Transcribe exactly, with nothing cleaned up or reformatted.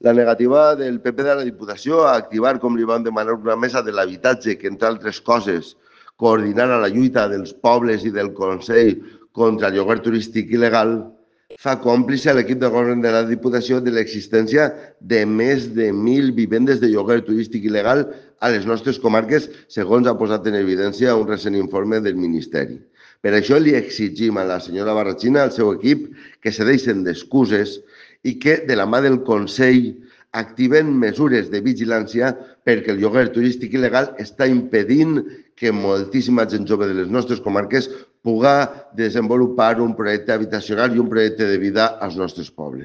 La negativa del P P de la Diputació a activar, com li vam demanar, una mesa de l'habitatge que, entre altres coses, coordinarà la lluita dels pobles i del Consell contra el lloguer turístic il·legal, fa còmplice a l'equip de govern de la Diputació de l'existència de més de mil vivendes de lloguer turístic il·legal a les nostres comarques, segons ha posat en evidència un recent informe del Ministeri. Per això li exigim a la senyora Barrachina, al seu equip, que se deixen d'excuses i que, de la mà del Consell, activen mesures de vigilància perquè el lloguer turístic il·legal està impedint que moltíssima gent jove de les nostres comarques pugui desenvolupar un projecte habitacional i un projecte de vida als nostres pobles.